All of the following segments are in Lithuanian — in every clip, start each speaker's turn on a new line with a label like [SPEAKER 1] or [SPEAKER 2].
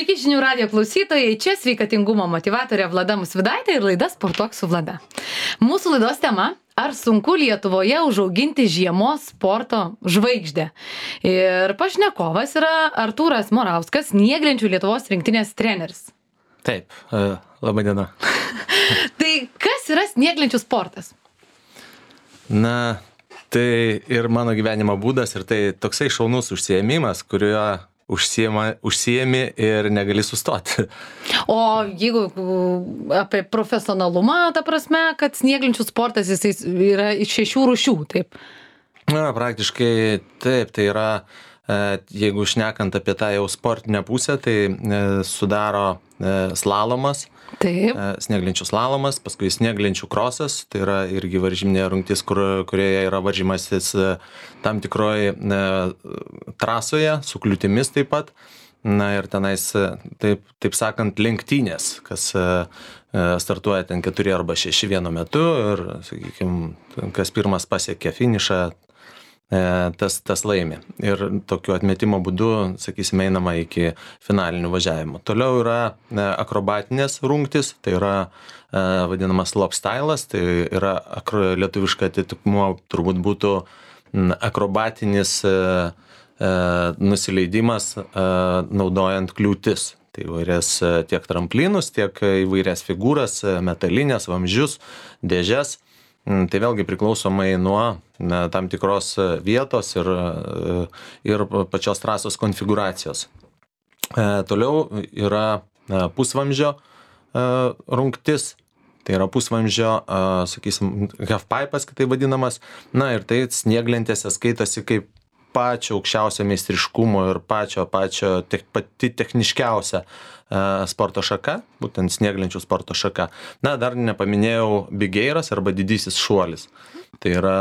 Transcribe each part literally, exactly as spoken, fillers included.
[SPEAKER 1] Sveiki žinių radijo klausytojai, čia sveikatingumo motyvatorė Vlada Musvydaitė ir laida Sportuok su Vlada. Mūsų laidos tema – ar sunku Lietuvoje užauginti žiemos sporto žvaigždę? Ir pašnekovas yra Artūras Morauskas, snieglenčių Lietuvos rinktinės treneris.
[SPEAKER 2] Taip, labai diena.
[SPEAKER 1] Tai kas yra snieglenčių sportas?
[SPEAKER 2] Na, tai ir mano gyvenimo būdas, ir tai toksai šaunus užsiėmimas, kuriuo užsiema, užsiemi ir negali sustoti.
[SPEAKER 1] O jeigu apie profesionalumą, ta prasme, kad snieglenčių sportas jisai yra iš šešių rūšių, taip?
[SPEAKER 2] Na, praktiškai taip, tai yra, jeigu šnekant apie tą jau sportinę pusę, tai sudaro slalomas,
[SPEAKER 1] taip.
[SPEAKER 2] Snieglenčių slalomas, paskui snieglenčių krosas, tai yra irgi varžyminė rungtis, kur, kurioje yra varžymasis tam tikroje trasoje, su kliūtimis taip pat. Na ir tenais, taip, taip sakant, lenktynės, kas startuoja ten keturi arba šeši vienu metu ir, sakykime, kas pirmas pasiekia finišą, tas, tas laimi. Ir tokiu atmetimo būdu, sakysime, einama iki finalinių važiavimų. Toliau yra akrobatinės rungtis, tai yra vadinamas slopstylas, tai yra lietuviška atitikmuo turbūt būtų akrobatinis nusileidimas naudojant kliūtis. Tai įvairias tiek tramplinus, tiek įvairias figūras, metalinės, vamzdžius, dėžes. Tai vėlgi priklausomai nuo na, tam tikros vietos ir, ir pačios trasos konfiguracijos. E, toliau yra pusvamzdžio e, rungtis, tai yra pusvamzdžio, e, sakysim, halfpipas, kitaip vadinamas. Na ir tai snieglentėse skaitosi kaip pačio aukščiausio meistriškumo ir pačio, pačio te, pati techniškiausia sporto šaka, būtent snieglenčių sporto šaka. Na, dar nepaminėjau bigeiras arba didysis šuolis. Tai yra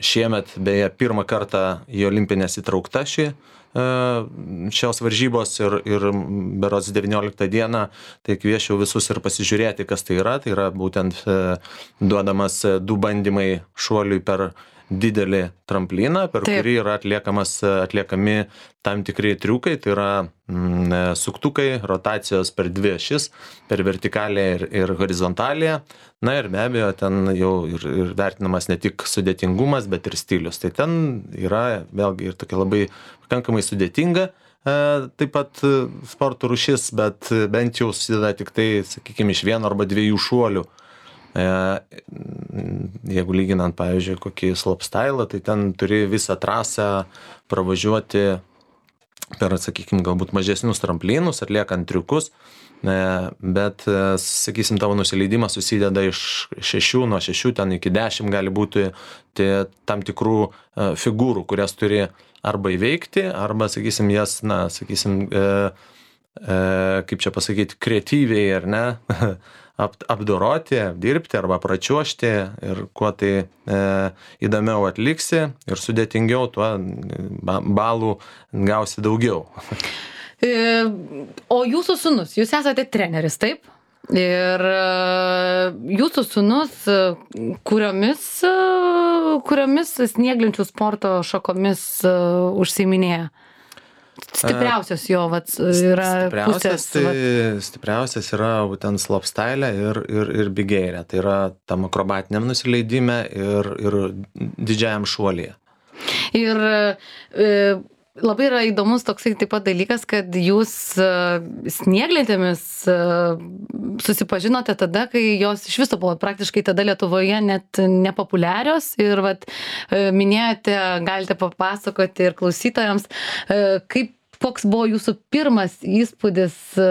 [SPEAKER 2] šiemet, beje, pirmą kartą į olimpinės įtraukta ši, šios varžybos ir, ir berods devynioliktą dieną, tai kviečiau visus ir pasižiūrėti, kas tai yra. Tai yra būtent duodamas du bandymai šuoliui per didelį trampliną, per Taip. Kurį yra atliekamas, atliekami tam tikrai triukai, tai yra mm, suktukai, rotacijos per dvi ašis, per vertikalę ir, ir horizontalę. Na ir be abejo, ten jau ir, ir vertinamas ne tik sudėtingumas, bet ir stilius. Tai ten yra vėlgi ir tokia labai pakankamai sudėtinga, e, taip pat sporto rūšis, bet bent jau susideda tik tai, sakykime, iš vieno arba dviejų šuolių. Jeigu lyginant, pavyzdžiui, kokį slopestylą, tai ten turi visą trasą pravažiuoti per, sakykime, galbūt mažesnius tramplinus, atliekant triukus, bet, sakysim, tavo nusileidimas susideda iš šešių, nuo šešių ten iki dešimt gali būti tai tam tikrų figūrų, kurias turi arba įveikti, arba, sakysim, jas, na, sakysim, e, e, kaip čia pasakyti, kreatyviai, ar ne, apdoroti, dirbti arba pračiuošti ir kuo tai e, įdomiau atliksi ir sudėtingiau, tuo balų gausi daugiau.
[SPEAKER 1] E, o jūsų sūnus, jūs esate treneris, taip? Ir jūsų sūnus, kuriomis, kuriomis snieglenčių sporto šakomis užsiiminėja? Stipriausias jo vat, yra
[SPEAKER 2] stipriausias,
[SPEAKER 1] pusės.
[SPEAKER 2] Tai, stipriausias yra būtent slopestyle ir, ir, ir bigeirė. Tai yra tam akrobatiniam nusileidime ir, ir didžiajam šuolyje.
[SPEAKER 1] Ir e, labai yra įdomus toksai taip pat dalykas, kad jūs e, snieglentėmis e, susipažinote tada, kai jos iš viso buvo praktiškai tada Lietuvoje net nepopuliarios ir vat, e, minėjote, galite papasakoti ir klausytojams, e, kaip koks buvo jūsų pirmas įspūdis e,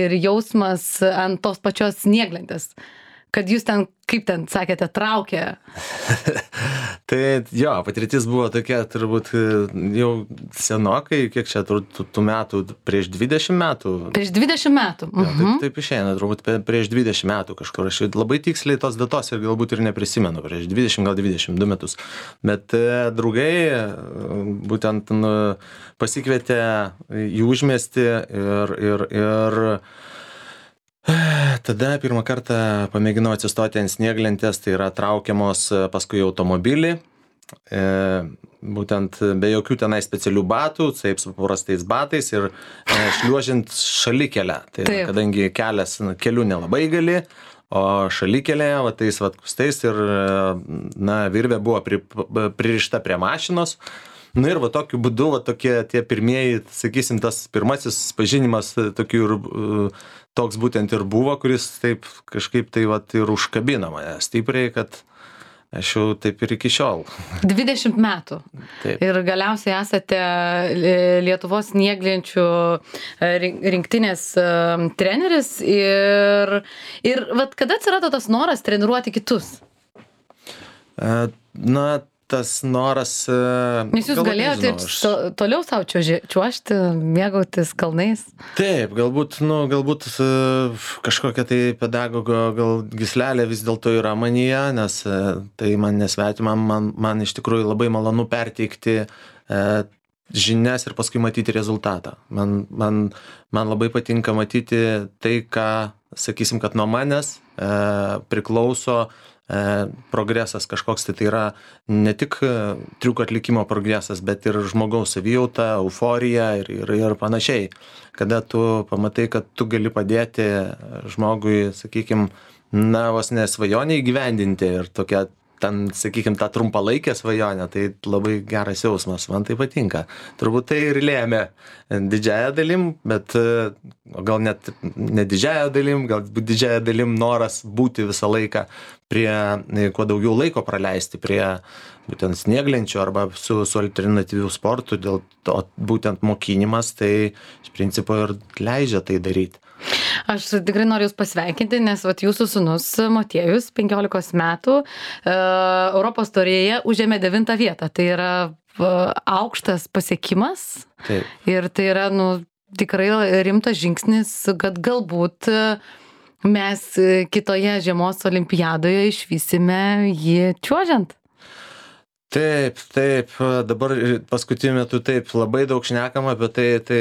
[SPEAKER 1] ir jausmas ant tos pačios snieglentės, kad jūs ten, kaip ten sakėte, traukė.
[SPEAKER 2] Tai jo, patirtis buvo tokia turbūt jau senokai, kiek čia tų, tų metų, prieš dvidešimt metų.
[SPEAKER 1] Prieš dvidešimt metų.
[SPEAKER 2] Jo, taip, taip išeina, turbūt prieš dvidešimt metų kažkur. Aš labai tiksliai tos datos ir galbūt ir neprisimenu, prieš dvidešimt, gal dvidešimt du metus. Bet e, draugai būtent nu, pasikvietė į užmiestį ir, ir, ir tada pirmą kartą pamėginau atsistoti ant snieglentės, tai yra traukiamos paskui automobilį e, būtent be jokių tenai specialių batų, taip su paprastais batais ir e, šliuožiant šalikelę. Tai
[SPEAKER 1] Taip.
[SPEAKER 2] kadangi kelias, na, keliu nelabai gali, o šalikelėje, va tais va kustais ir, na, virvė buvo pri, pririšta prie mašinos. Na ir va tokiu būdu, va tokie tie pirmieji, sakysim, tas pirmasis pažinimas tokių ir toks būtent ir buvo, kuris taip kažkaip tai va ir užkabino mane stipriai, kad aš jau taip ir iki šiol.
[SPEAKER 1] dvidešimt metų.
[SPEAKER 2] Taip.
[SPEAKER 1] Ir galiausiai esate Lietuvos snieglenčių rinktinės treneris ir, ir vat kada atsirado tas noras treniruoti kitus?
[SPEAKER 2] Na, tas noras...
[SPEAKER 1] Nes jūs galėjote ir
[SPEAKER 2] aš...
[SPEAKER 1] toliau savo čiuožti, mėgautis kalnais?
[SPEAKER 2] Taip, galbūt, nu, galbūt kažkokia tai pedagogo gal gyslelė vis dėlto yra manyje, nes tai man nesvetima, man, man iš tikrųjų labai malonu perteikti e, žinias ir paskui matyti rezultatą. Man, man, man labai patinka matyti tai, ką, sakysim, kad nuo manęs e, priklauso progresas kažkoks, tai tai yra ne tik triuko atlikimo progresas, bet ir žmogaus savijauta, euforija ir, ir, ir panašiai. Kada tu pamatai, kad tu gali padėti žmogui, sakykim, na, vos ne svajonę įgyvendinti ir tokia, ten, sakykim, tą trumpalaikę svajonę, tai labai geras jausmas, man tai patinka. Turbūt tai ir lėmė didžiąją dalim, bet gal net ne didžiąją dalim, gal didžiąją dalim noras būti visą laiką prie, kuo daugiau laiko praleisti prie būtent snieglenčių arba su, su alternatyvių sportų, dėl to būtent mokinimas, tai iš principo ir leidžia tai daryti.
[SPEAKER 1] Aš tikrai noriu jūs pasveikinti, nes vat, jūsų sūnus Motiejus, penkiolikos metų, e, Europos taurėje užėmė devintą vietą. Tai yra e, aukštas pasiekimas.
[SPEAKER 2] Taip.
[SPEAKER 1] Ir tai yra, nu, tikrai rimtas žingsnis, kad galbūt mes kitoje žiemos olimpiadoje išvysime jį čiuožiant.
[SPEAKER 2] Taip, taip, dabar paskutiniu metu taip labai daug šnekama apie tai, tai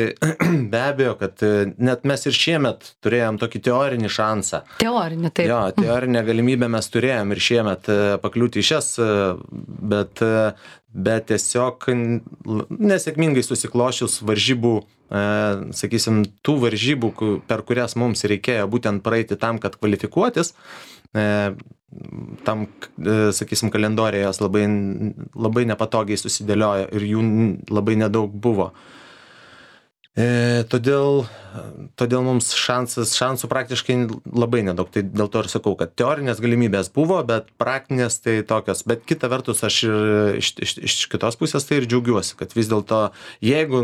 [SPEAKER 2] be abejo, kad net mes ir šiemet turėjom tokį teorinį šansą.
[SPEAKER 1] Teorinį, taip.
[SPEAKER 2] Jo, teorinę galimybę mes turėjom ir šiemet pakliūti į šias, bet, bet tiesiog nesėkmingai susiklošius varžybų, sakysim, tų varžybų, per kurias mums reikėjo būtent praeiti tam, kad kvalifikuotis, tam, sakysim, kalendorijoje jos labai, labai nepatogiai susidėliojo ir jų labai nedaug buvo. E, todėl, todėl mums šansas, šansų praktiškai labai nedaug. Tai dėl to ir sakau, kad teorinės galimybės buvo, bet praktinės tai tokios. Bet kita vertus, aš ir iš, iš, iš kitos pusės tai ir džiaugiuosi, kad vis dėlto, jeigu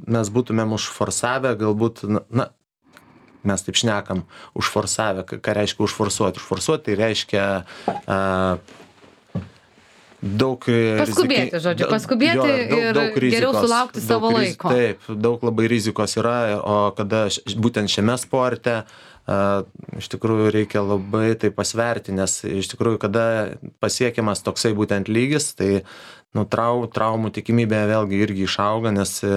[SPEAKER 2] mes būtumėm užforsavę, galbūt, na, mes taip šnekam, užforsavę, ką reiškia užforsuoti. Užforsuoti tai reiškia uh, daug...
[SPEAKER 1] Paskubėti, rizikai, žodžiu, paskubėti jo, daug, ir daug rizikos, geriau sulaukti savo
[SPEAKER 2] riz,
[SPEAKER 1] laiko.
[SPEAKER 2] Taip, daug labai rizikos yra, o kada būtent šiame sporte uh, iš tikrųjų reikia labai tai pasverti, nes iš tikrųjų, kada pasiekiamas toksai būtent lygis, tai nu, trau, traumų tikimybė vėlgi irgi išauga, nes e,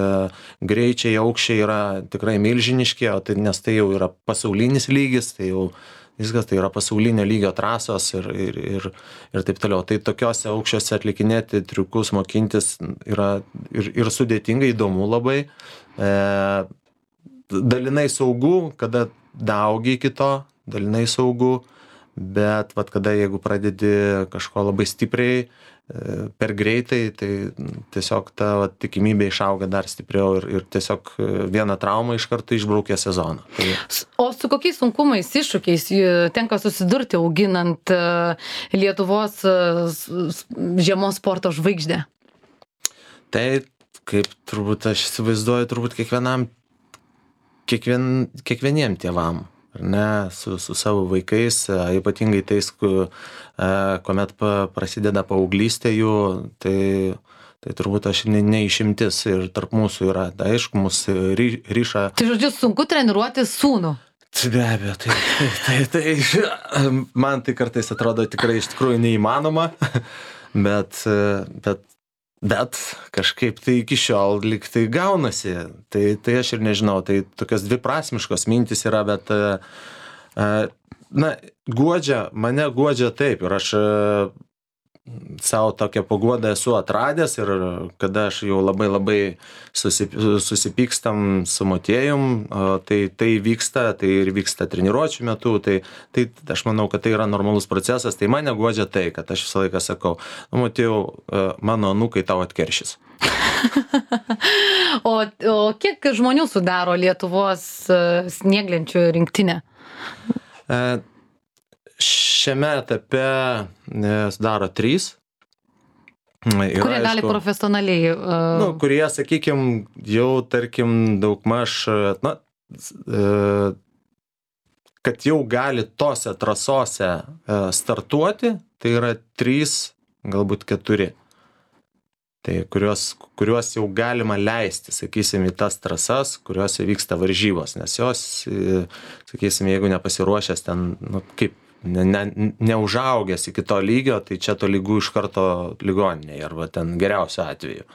[SPEAKER 2] greičiai, aukščiai yra tikrai milžiniški, o tai, nes tai jau yra pasaulinis lygis, tai jau viskas tai yra pasaulinio lygio trasos ir, ir, ir, ir taip toliau. Tai tokiuose aukščiuose atlikinėti triukus, mokintis yra ir, ir sudėtinga, įdomu labai. E, dalinai saugu, kada daugi iki to, dalinai saugu, bet vat, kada jeigu pradedi kažko labai stipriai, per greitai, tai tiesiog ta vat, tikimybė išauga dar stipriau ir, ir tiesiog vieną traumą iš karto išbraukia sezoną. Tai...
[SPEAKER 1] O su kokiais sunkumais, iššūkiais tenka susidurti auginant Lietuvos žiemos sporto žvaigždę?
[SPEAKER 2] Tai kaip turbūt aš įsivaizduoju, turbūt kiekvienam, kiekvien, kiekvieniem tėvam. Ar ne, su, su savo vaikais, ypatingai tais, kuomet prasideda paauglystė jų, tai, tai turbūt aš ne, neišimtis ir tarp mūsų yra, tai aišku, mus ry, ryša.
[SPEAKER 1] Tai žodžiu, sunku treniruoti sūnų.
[SPEAKER 2] Be abejo, tai, tai, tai, tai man tai kartais atrodo tikrai iš tikrųjų neįmanoma, bet, bet Bet kažkaip tai iki šiol lyg tai gaunasi, tai, tai aš ir nežinau, tai tokios dviprasmiškos mintis yra, bet, na, guodžia, mane guodžia taip ir aš savo tokią paguodą esu atradęs ir kada aš jau labai labai susip, susipykstam su motiejum, tai tai vyksta, tai ir vyksta treniruočių metu, tai, tai aš manau, kad tai yra normalus procesas, tai mane guodžia tai, kad aš visą laiką sakau, nu, motiejau, mano anūkai tau atkeršys.
[SPEAKER 1] o, o kiek žmonių sudaro Lietuvos snieglenčių rinktinę?
[SPEAKER 2] E, Šiame etape sudaro trys.
[SPEAKER 1] Ir, kurie aišku, gali profesionaliai. Uh...
[SPEAKER 2] Nu, kurie, sakykime, jau, tarkim, daugmaž, na, kad jau gali tose trasose startuoti, tai yra trys, galbūt keturi. Tai kuriuos, kuriuos jau galima leisti, sakysim, į tas trasas, kuriuose vyksta varžybos, nes jos, sakysim, jeigu nepasiruošęs ten, nu, kaip, ne, ne, neužaugęs iki to lygio, tai čia to lygų iš karto ligoninėje, arba ten geriausiu atveju.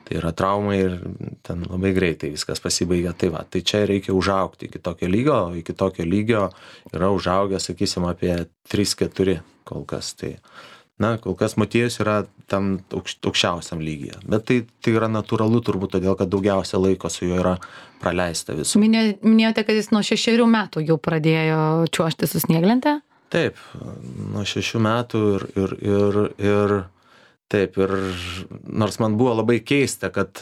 [SPEAKER 2] Tai yra traumai ir ten labai greitai viskas pasibaigia. Tai va, tai čia reikia užaugti iki tokio lygio, iki tokio lygio yra užaugę, sakysim, apie trys keturi kol kas. Tai, na, kol kas Motiejus yra tam aukščiausiam lygyje. Bet tai, tai yra natūralu turbūt todėl, kad daugiausia laiko su juo yra praleista visų.
[SPEAKER 1] Minėjote, kad jis nuo šešerių metų jau pradėjo čiuožti su snieglente?
[SPEAKER 2] Taip, nuo šešių metų ir, ir, ir, ir taip, ir nors man buvo labai keista, kad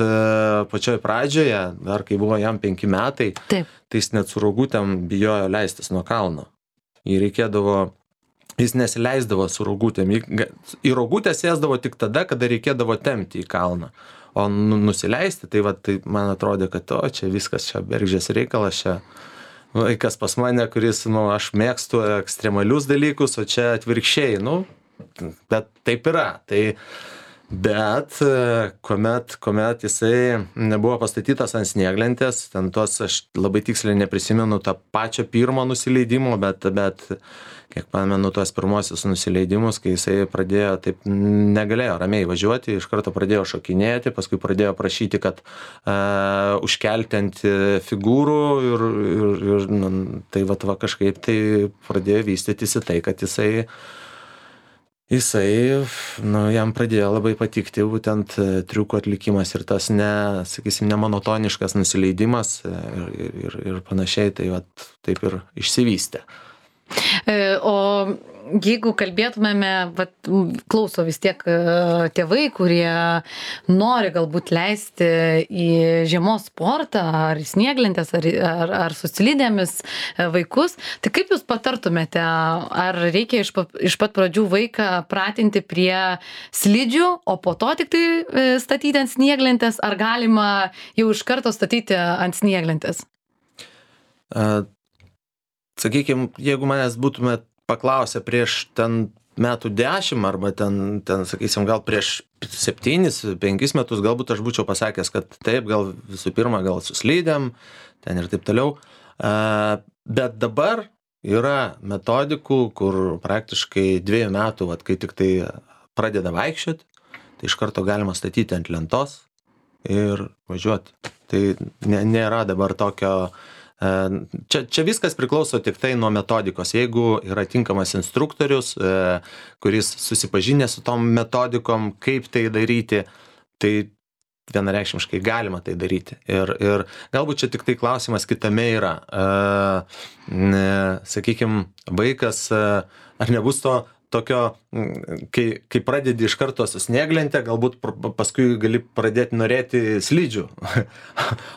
[SPEAKER 2] pačioj pradžioje, dar kai buvo jam penki metai, taip, tai jis net su rogutėm bijojo leistis nuo kalno. Jį reikėdavo, jis nesileisdavo su rogutėm, į rogutę sėsdavo tik tada, kada reikėdavo tempti į kalną. O nusileisti, tai, va, tai man atrodė, kad o, čia viskas, čia bergždžias reikalas, čia vaikas pas mane, kuris, nu, aš mėgstu ekstremalius dalykus, o čia atvirkščiai, nu, bet taip yra. Tai, bet kuomet, kuomet jisai nebuvo pastatytas ant snieglentės, ten tos, aš labai tiksliai neprisimenu tą pačio pirmo nusileidimo, bet, bet kiek pamenu tuos pirmosius nusileidimus, kai jisai pradėjo, taip negalėjo ramiai važiuoti, iš karto pradėjo šokinėti, paskui pradėjo prašyti, kad uh, užkelti ant figūrų ir, ir, ir nu, tai va, va kažkaip tai pradėjo vystytis į tai, kad jisai Jisai, nu, jam pradėjo labai patikti būtent triukų atlikimas ir tas ne, sakysim, nemonotoniškas nusileidimas ir, ir, ir panašiai, tai va, taip ir išsivystė.
[SPEAKER 1] O jeigu kalbėtumėme, vat, klauso vis tiek tėvai, kurie nori galbūt leisti į žiemos sportą, ar į snieglentės, ar, ar, ar su slidėmis vaikus, tai kaip jūs patartumėte, ar reikia iš, iš pat pradžių vaiką pratinti prie slidžių, o po to tik tai statyti ant snieglentės, ar galima jau iš karto statyti ant snieglentės?
[SPEAKER 2] Uh. Sakykime, jeigu manęs būtumėt paklausę prieš ten metų dešimt arba ten, ten, sakysim, gal prieš septynis, penkis metus, galbūt aš būčiau pasakęs, kad taip, gal visų pirma, gal su slidėm, ten ir taip toliau. Bet dabar yra metodikų, kur praktiškai dviejų metų, vat, kai tik tai pradeda vaikščioti, tai iš karto galima statyti ant lentos ir važiuoti. Tai nėra dabar tokio... Čia, čia viskas priklauso tik tai nuo metodikos. Jeigu yra tinkamas instruktorius, kuris susipažinęs su tom metodikom, kaip tai daryti, tai vienareikšmiškai galima tai daryti. Ir, ir galbūt čia tik tai klausimas kitame yra. Sakykime, vaikas, ar nebus to tokio, kai, kai pradedi iš karto su snieglente, galbūt paskui gali pradėti norėti slidžių.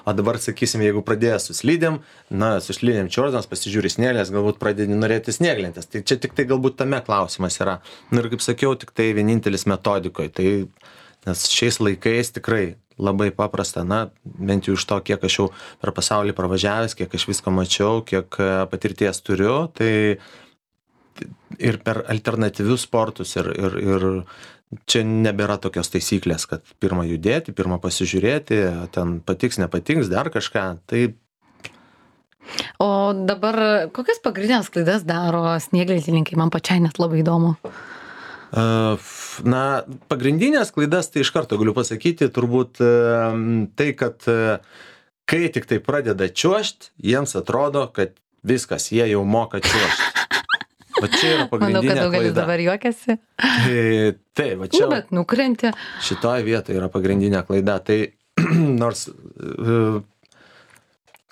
[SPEAKER 2] O dabar, sakysim, jeigu pradėjęs su slidėm, na, su slidėm čiuoždamas, pasižiūri snieglės, galbūt pradedi norėti snieglentės. Tai čia tik tai galbūt tame klausimas yra. Na ir kaip sakiau, tik tai vienintelis metodikoje. Tai, nes šiais laikais tikrai labai paprasta, na, bent jau iš to, kiek aš jau per pasaulį pravažiavęs, kiek aš visko mačiau, kiek patirties turiu, tai ir per alternatyvius sportus ir, ir, ir čia nebėra tokios taisyklės, kad pirmą judėti, pirmą pasižiūrėti, ten patiks, nepatiks, dar kažką. Tai...
[SPEAKER 1] O dabar kokias pagrindinės klaidas daro snieglentininkai? Man pačiai net labai įdomu.
[SPEAKER 2] Na, pagrindinės klaidas, tai iš karto galiu pasakyti, turbūt tai, kad kai tik tai pradeda čiuožti, jiems atrodo, kad viskas, jie jau moka čiuožti. Va čia yra
[SPEAKER 1] Manau, kad
[SPEAKER 2] pagrindinė
[SPEAKER 1] daugelis
[SPEAKER 2] klaida.
[SPEAKER 1] dabar juokiasi.
[SPEAKER 2] Tai, tai va čia
[SPEAKER 1] Nu, bet nukrenti.
[SPEAKER 2] šitoje vietoje yra pagrindinė klaida. Tai nors e,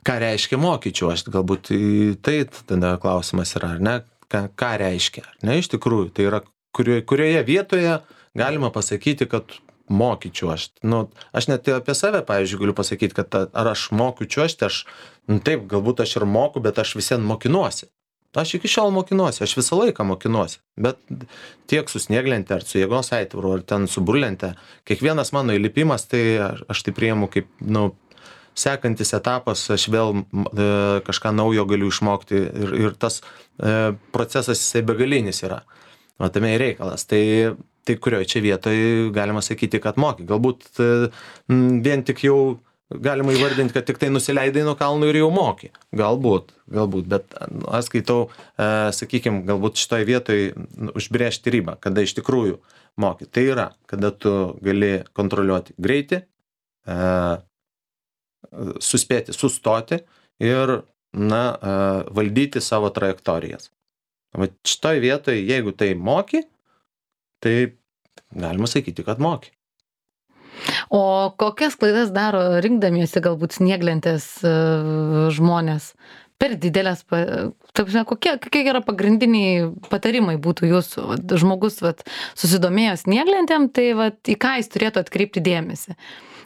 [SPEAKER 2] ką reiškia mokyčiau, aš galbūt į tai tada klausimas yra, ar ne, ką, ką reiškia, ar ne, iš tikrųjų, tai yra kurioje, kurioje vietoje galima pasakyti, kad mokyčiau aš. Nu, aš net apie save, pavyzdžiui, galiu pasakyti, kad ta, ar aš mokiu čiuožti, aš, nu, taip, galbūt aš ir moku, bet aš visien mokinuosi. Aš iki šiol mokinuosi, aš visą laiką mokinuosi, bet tiek su snieglente, ar su jėgos aitvaru, ar ten su burlente, kiekvienas mano įlipimas, tai aš, aš tai priimu kaip, nu, sekantis etapas, aš vėl e, kažką naujo galiu išmokti ir, ir tas e, procesas jisai begalinis yra. Matame ir reikalas. Tai, tai kurioje čia vietoje galima sakyti, kad moki. Galbūt e, vien tik jau galima įvardinti, kad tik tai nusileidai nuo kalnų ir jau moki. Galbūt, galbūt, bet aš skaitau, e, sakykime, galbūt šitoje vietoje užbrėžti ribą, kada iš tikrųjų moki. Tai yra, kada tu gali kontroliuoti greitį, e, suspėti, sustoti ir, na, e, valdyti savo trajektorijas. Va šitoje vietoje, jeigu tai moki, tai galima sakyti, kad moki.
[SPEAKER 1] O kokias klaidas daro rinkdamiesi galbūt snieglentės uh, žmonės? Per didelės, pa, taip, kokie, kokie yra pagrindiniai patarimai būtų jūsų? Vat, žmogus vat, susidomėjo snieglentėm, tai vat, į ką jis turėtų atkreipti dėmesį?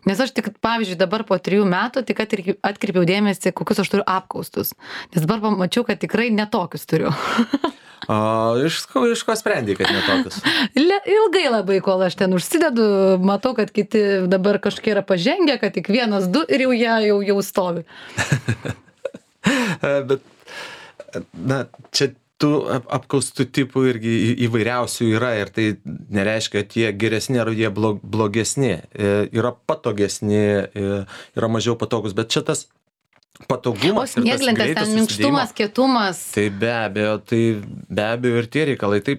[SPEAKER 1] Nes aš tik, pavyzdžiui, dabar po trijų metų tik atkreipiau dėmesį, kokius aš turiu apkaustus. Nes dabar pamačiau, kad tikrai netokius turiu.
[SPEAKER 2] O iš, iš ko sprendai, kad netokius?
[SPEAKER 1] Ilgai labai, kol aš ten užsidedu, matau, kad kiti dabar kažkiek yra pažengę, kad tik vienas, du ir jau jie jau, jau stovi.
[SPEAKER 2] Bet, na, čia tų apkaustų tipų irgi įvairiausių yra ir tai nereiškia, kad jie geresni ar jie blogesni. Yra patogesni, yra mažiau patogus, bet čia tas patogumas.
[SPEAKER 1] O snieglentės ten minkštumas, kietumas.
[SPEAKER 2] Tai be abejo, tai be abejo ir tie reikalai. Tai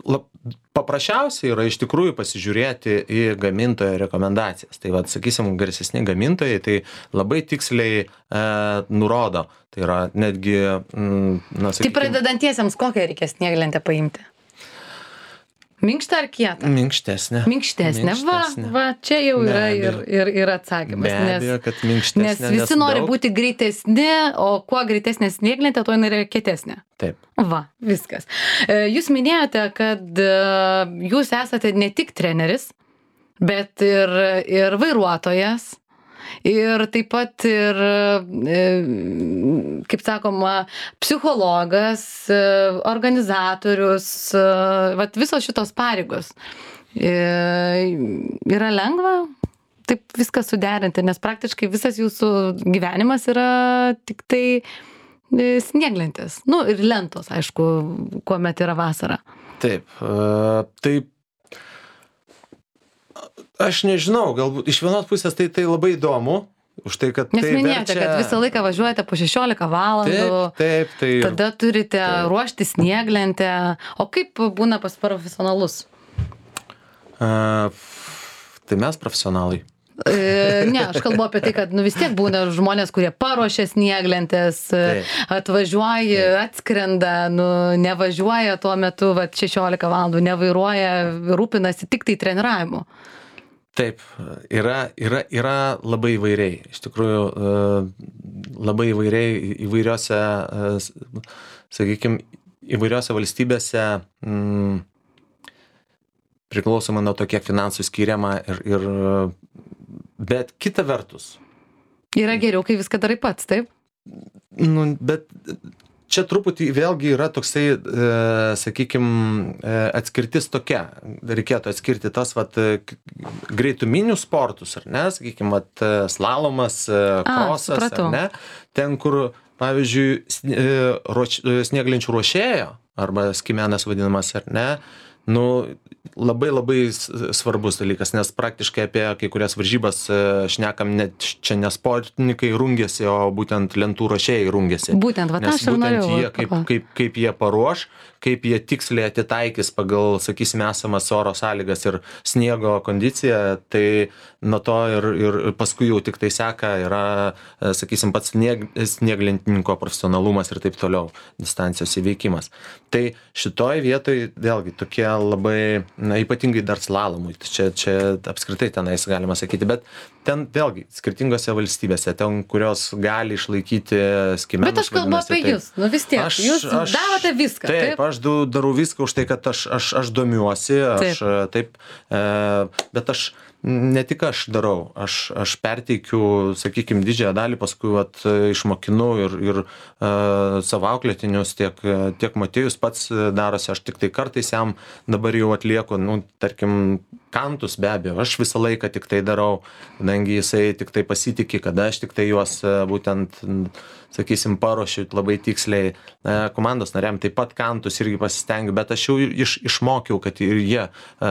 [SPEAKER 2] lab, paprasčiausiai yra iš tikrųjų pasižiūrėti į gamintojo rekomendacijas. Tai vad, sakysim, garsesni gamintojai tai labai tiksliai e, nurodo. Tai yra netgi, mm, na, sakykim...
[SPEAKER 1] Tai pradedantiesiems kokią reikia snieglentę paimti? Minkštą ar kietą?
[SPEAKER 2] Minkštesnė.
[SPEAKER 1] Minkštesnė. Va, va, čia jau yra ir, ir, ir atsakymas.
[SPEAKER 2] Be abejo, kad minkštesnė.
[SPEAKER 1] Nes visi nes nori daug... būti greitesni, o kuo greitesnė snieglentė, to jinai yra kietesnė.
[SPEAKER 2] Taip.
[SPEAKER 1] Va, viskas. Jūs minėjote, kad jūs esate ne tik treneris, bet ir, ir vairuotojas. Ir taip pat ir, kaip sakoma, psichologas, organizatorius, vat visos šitos pareigos. Yra lengva taip viską suderinti, nes praktiškai visas jūsų gyvenimas yra tik tai snieglentės. Nu ir lentos, aišku, kuomet yra vasara.
[SPEAKER 2] Taip, uh, taip. Aš nežinau, galbūt iš vienos pusės tai, tai labai įdomu, už tai, kad
[SPEAKER 1] Nes
[SPEAKER 2] tai
[SPEAKER 1] minėjote,
[SPEAKER 2] verčia...
[SPEAKER 1] kad visą laiką važiuojate po šešiolika valandų,
[SPEAKER 2] taip, taip, tai...
[SPEAKER 1] tada turite
[SPEAKER 2] taip.
[SPEAKER 1] ruošti snieglentę. O kaip būna pas profesionalus?
[SPEAKER 2] Uh, tai mes profesionalai.
[SPEAKER 1] E, ne, aš kalbu apie tai, kad nu, vis tiek būna žmonės, kurie paruošia snieglentės, taip. Atvažiuoja, taip. Atskrenda, nu, nevažiuoja tuo metu va, šešiolika valandų, nevairuoja, rūpinasi tik tai treniravimu.
[SPEAKER 2] Taip, yra, yra, yra labai įvairiai. Iš tikrųjų, labai įvairiai įvairiose, sakykime, įvairiose valstybėse mm, priklausomai nuo to, kiek finansų skiriama ir, ir bet kita vertus.
[SPEAKER 1] Yra geriau, kai viską darai pats, taip?
[SPEAKER 2] Nu, bet čia truputį vėlgi yra toksai, e, sakykime, atskirtis tokia. Reikėtų atskirti tas vat, greituminius sportus, ar ne, sakykime, vat, slalomas, krosas, A, ar ne, ten, kur, pavyzdžiui, snieglenčių ruošėjo, arba skimenas vadinamas, ar ne, nu, labai labai s- svarbus dalykas, nes praktiškai apie kai kurias varžybas e, šnekam net čia ne sportininkai rungiasi, o būtent lentų ruošėjai rungiasi.
[SPEAKER 1] Būtent, va, tą
[SPEAKER 2] Nes
[SPEAKER 1] aš ir
[SPEAKER 2] būtent
[SPEAKER 1] norėjau
[SPEAKER 2] jie, kaip,
[SPEAKER 1] papla-
[SPEAKER 2] kaip, kaip jie paruoš, kaip jie tiksliai atitaikys pagal, sakysime, esamas oro sąlygas ir sniego kondiciją, tai nuo to ir, ir paskui jau tik tai seka yra, e, sakysim, pats snieg, snieglentininko profesionalumas ir taip toliau, distancijos įveikimas. Tai šitoj vietoj vėlgi tokie labai, na, ypatingai dar slalomui, čia, čia apskritai tenais galima sakyti, bet ten vėlgi skirtingose valstybėse, ten, kurios gali išlaikyti skiemenus.
[SPEAKER 1] Bet aš kalbu
[SPEAKER 2] vadinasi,
[SPEAKER 1] apie
[SPEAKER 2] tai-
[SPEAKER 1] jūs, nu vis tiek,
[SPEAKER 2] Aš-
[SPEAKER 1] jūs
[SPEAKER 2] aš-
[SPEAKER 1] darote viską,
[SPEAKER 2] Taip,
[SPEAKER 1] taip?
[SPEAKER 2] aš du- darau viską už tai, kad aš, aš, aš domiuosi, aš
[SPEAKER 1] Taip.
[SPEAKER 2] taip, e, bet aš ne tik aš darau, aš, aš perteikiu, sakykime, didžiąją dalį, paskui vat, išmokinu ir, ir uh, savo auklėtinius, tiek, tiek Matėjus pats darosi, aš tik tai kartais jam dabar jau atlieku, nu, tarkim, kantus be abejo, aš visą laiką tik tai darau, kadangi jisai tik tai pasitikė, kada aš tik tai juos e, būtent, sakysim, paruošiu labai tiksliai. E, komandos nariam taip pat kantus irgi pasistengiu, bet aš jau iš, išmokiau, kad ir jie e,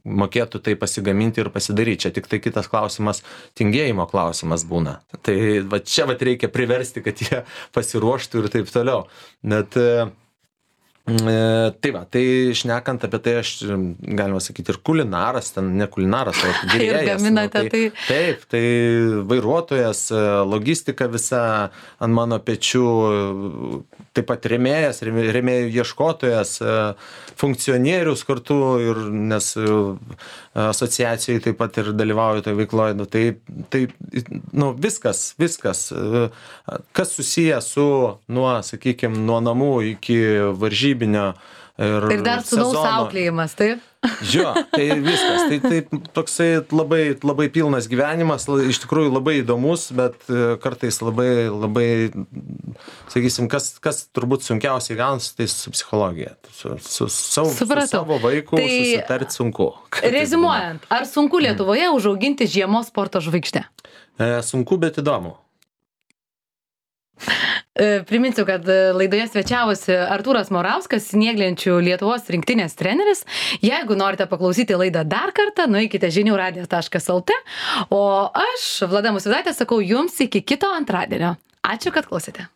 [SPEAKER 2] mokėtų tai pasigaminti ir pasidaryti. Čia tik tai kitas klausimas, tingėjimo klausimas būna. Tai va čia va reikia priversti, kad jie pasiruoštų ir taip toliau. Net e, E, tai va, tai šnekant apie tai, aš, galima sakyti, ir kulinaras, ten ne kulinaras, o virėjas.
[SPEAKER 1] Ir gaminate
[SPEAKER 2] nu,
[SPEAKER 1] tai.
[SPEAKER 2] Taip, tai vairuotojas, logistika visa ant mano pečių, taip pat rėmėjas, rėmė- rėmėjų ieškotojas, funkcionierius kartu, ir, nes asociacijai taip pat ir dalyvauju toje veikloje. Nu, tai, tai nu, viskas, viskas, kas susiję su, nuo, sakykime, nuo namų iki varžybų. Ir,
[SPEAKER 1] Ir dar sūnaus
[SPEAKER 2] sezono.
[SPEAKER 1] auklėjimas, taip?
[SPEAKER 2] Jo, tai viskas. Tai, tai toksai labai, labai pilnas gyvenimas, la- iš tikrųjų labai įdomus, bet e, kartais labai, labai, sakysim, kas, kas turbūt sunkiausiai gaunasi, tai su psichologija. Su, su, savo, su
[SPEAKER 1] Supratau.
[SPEAKER 2] savo vaiku
[SPEAKER 1] Tai
[SPEAKER 2] susitarti sunku.
[SPEAKER 1] Reziumuojant, ar sunku Lietuvoje užauginti žiemos sporto žvaigždę?
[SPEAKER 2] E, sunku, bet įdomu.
[SPEAKER 1] E, Priminsiu, kad e, laidoje svečiavosi Artūras Morauskas, snieglenčių Lietuvos rinktinės treneris. Jeigu norite paklausyti laidą dar kartą, nueikite žinių radijas taškas lt. O aš, Vlada Musvydaitė, sakau jums iki kito antradienio. Ačiū, kad klausėte.